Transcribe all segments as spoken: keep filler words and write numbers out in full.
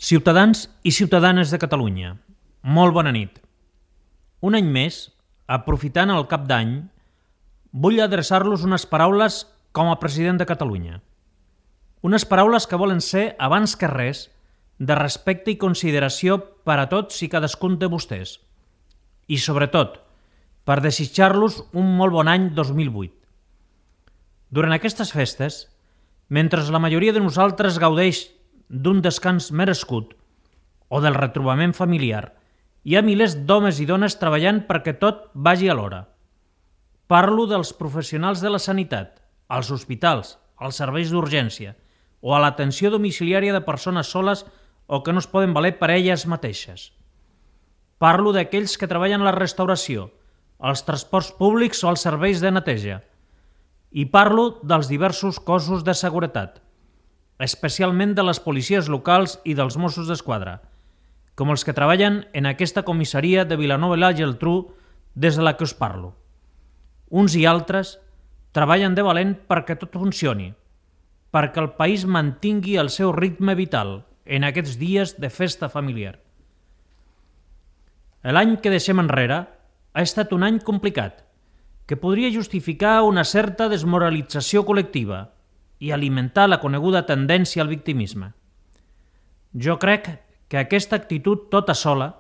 Ciutadans i ciutadanes de Catalunya, molt bona nit. Un any més, aprofitant el cap d'any, vull adreçar-los unes paraules com a president de Catalunya. Unes paraules que volen ser, abans que res, de respecte i consideració per a tots i cadascun de vostès. I, sobretot, per desitjar-los un molt bon any dos mil vuit. Durant aquestes festes, mentre la majoria de nosaltres gaudeix d'un descans merescut o del retrobament familiar, hi ha milers d'homes i dones treballant perquè tot vagi a l'hora. Parlo dels professionals de la sanitat, als hospitals, als serveis d'urgència o a l'atenció domiciliària de persones soles o que no es poden valer per elles mateixes. Parlo d'aquells que treballen a la restauració, als transports públics o als serveis de neteja. I parlo dels diversos cossos de seguretat, especialment de les policies locals i dels Mossos d'Esquadra, com els que treballen en aquesta comissaria de Vilanova i la Geltrú des de la que us parlo. Uns i altres treballen de valent perquè tot funcioni, perquè el país mantingui el seu ritme vital en aquests dies de festa familiar. L'any que deixem enrere ha estat un any complicat, que podria justificar una certa desmoralització col·lectiva i alimentar la coneguda tendència al victimisme. Jo crec que aquesta actitud tota sola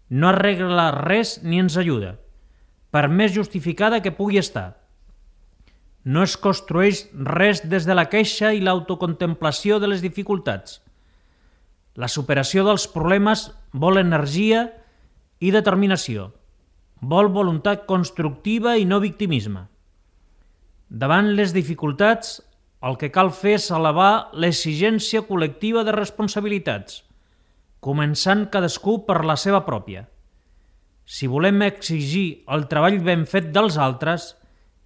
no arregla res ni ens ajuda, per més justificada que pugui estar. No es construeix res des de la queixa i l'autocontemplació de les dificultats. La superació dels problemes vol energia i determinació, vol voluntat constructiva i no victimisme. Davant les dificultats, el que cal fer és elevar l'exigència col·lectiva de responsabilitats, començant cadascú per la seva pròpia. Si volem exigir el treball ben fet dels altres,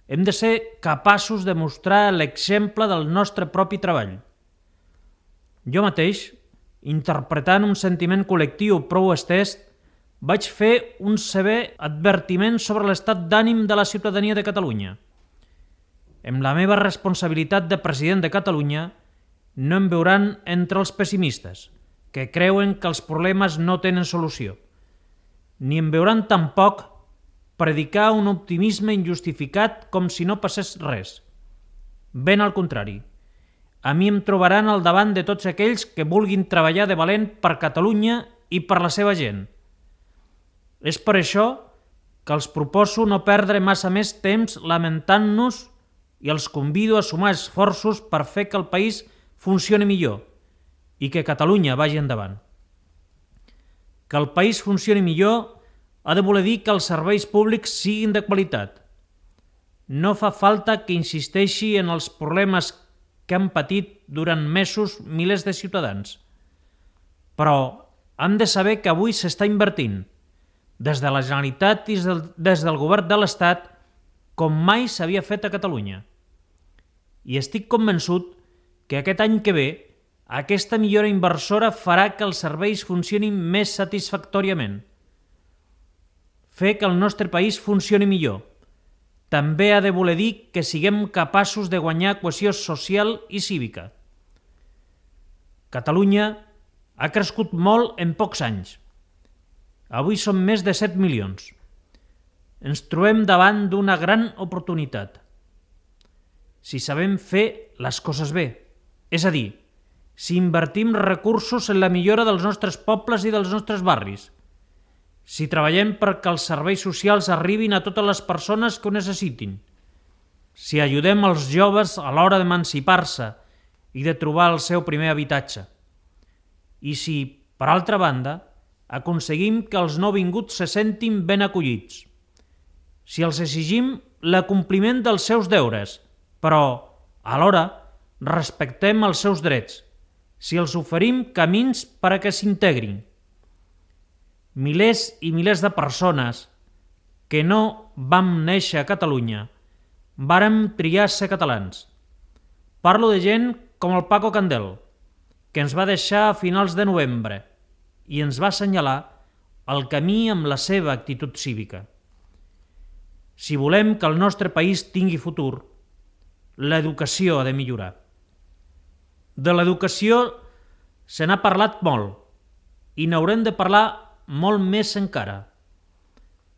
hem de ser capaços de mostrar l'exemple del nostre propi treball. Jo mateix, interpretant un sentiment col·lectiu prou estès, vaig fer un sever advertiment sobre l'estat d'ànim de la ciutadania de Catalunya. Amb la meva responsabilitat de president de Catalunya, no em veuran entre els pessimistes, que creuen que els problemes no tenen solució. Ni em veuran tampoc predicar un optimisme injustificat com si no passés res. Ben al contrari, a mi em trobaran al davant de tots aquells que vulguin treballar de valent per Catalunya i per la seva gent. És per això que els proposo no perdre massa més temps lamentant-nos i els convido a sumar esforços per fer que el país funcioni millor i que Catalunya vagi endavant. Que el país funcioni millor ha de voler dir que els serveis públics siguin de qualitat. No fa falta que insisteixi en els problemes que han patit durant mesos milers de ciutadans. Però hem de saber que avui s'està invertint, des de la Generalitat i des del Govern de l'Estat, com mai s'havia fet a Catalunya. I estic convençut que aquest any que ve aquesta millora inversora farà que els serveis funcionin més satisfactòriament. Fer que el nostre país funcioni millor també ha de voler dir que siguem capaços de guanyar cohesió social i cívica. Catalunya ha crescut molt en pocs anys. Avui som més de set milions. Ens trobem davant d'una gran oportunitat. Si sabem fer les coses bé, és a dir, si invertim recursos en la millora dels nostres pobles i dels nostres barris, si treballem perquè els serveis socials arribin a totes les persones que ho necessitin, si ajudem els joves a l'hora d'emancipar-se i de trobar el seu primer habitatge, i si, per altra banda, aconseguim que els nouvinguts se sentin ben acollits, si els exigim l'acompliment dels seus deures, però, alhora, respectem els seus drets, si els oferim camins per a que s'integrin. Milers i milers de persones que no vam néixer a Catalunya vàrem triar ser catalans. Parlo de gent com el Paco Candel, que ens va deixar a finals de novembre i ens va assenyalar el camí amb la seva actitud cívica. Si volem que el nostre país tingui futur, l'educació ha de millorar. De l'educació se n'ha parlat molt, i n'haurem de parlar molt més encara.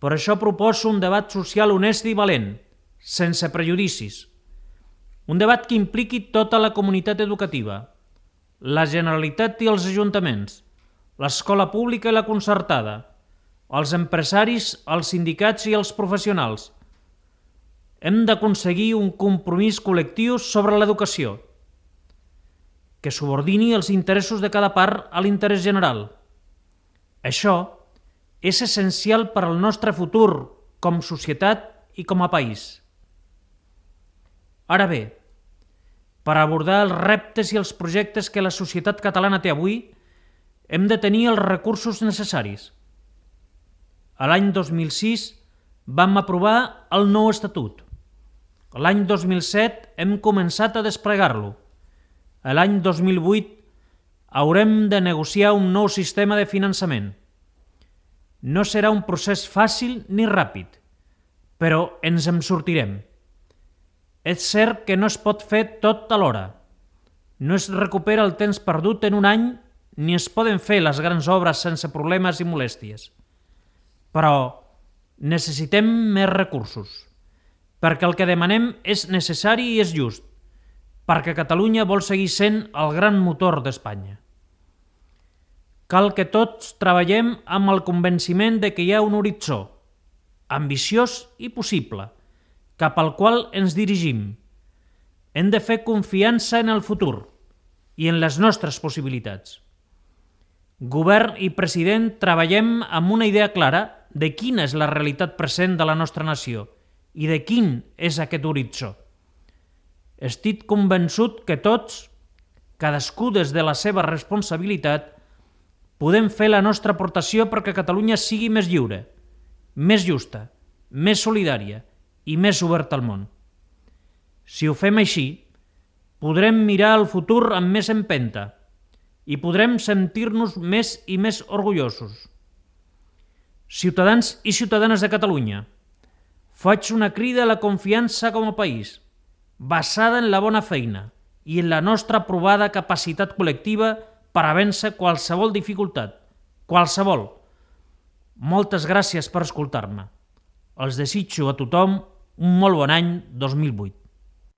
Per això proposo un debat social honest i valent, sense prejudicis. Un debat que impliqui tota la comunitat educativa, la Generalitat i els ajuntaments, l'escola pública i la concertada, els empresaris, els sindicats i els professionals. Hem d'aconseguir un compromís col·lectiu sobre l'educació, que subordini els interessos de cada part a l'interès general. Això és essencial per al nostre futur com societat i com a país. Ara bé, per abordar els reptes i els projectes que la societat catalana té avui, hem de tenir els recursos necessaris. A l'any dos mil sis vam aprovar el nou estatut. L'any dos mil set hem començat a desplegar-lo. A l'any dos mil vuit haurem de negociar un nou sistema de finançament. No serà un procés fàcil ni ràpid, però ens en sortirem. És cert que no es pot fer tot alhora. No es recupera el temps perdut en un any ni es poden fer les grans obres sense problemes i molèsties. Però necessitem més recursos, perquè el que demanem és necessari i és just, perquè Catalunya vol seguir sent el gran motor d'Espanya. Cal que tots treballem amb el convenciment de que hi ha un horitzó, ambiciós i possible, cap al qual ens dirigim. Hem de fer confiança en el futur i en les nostres possibilitats. Govern i president treballem amb una idea clara de quina és la realitat present de la nostra nació i de quin és aquest horitzó. Estic convençut que tots, cadascú des de la seva responsabilitat, podem fer la nostra aportació perquè Catalunya sigui més lliure, més justa, més solidària i més oberta al món. Si ho fem així, podrem mirar al futur amb més empenta i podrem sentir-nos més i més orgullosos. Ciutadans i ciutadanes de Catalunya, faig una crida a la confiança com a país, basada en la bona feina i en la nostra provada capacitat col·lectiva per a vèncer qualsevol dificultat, qualsevol. Moltes gràcies per escoltar-me. Els desitjo a tothom un molt bon any dos mil vuit.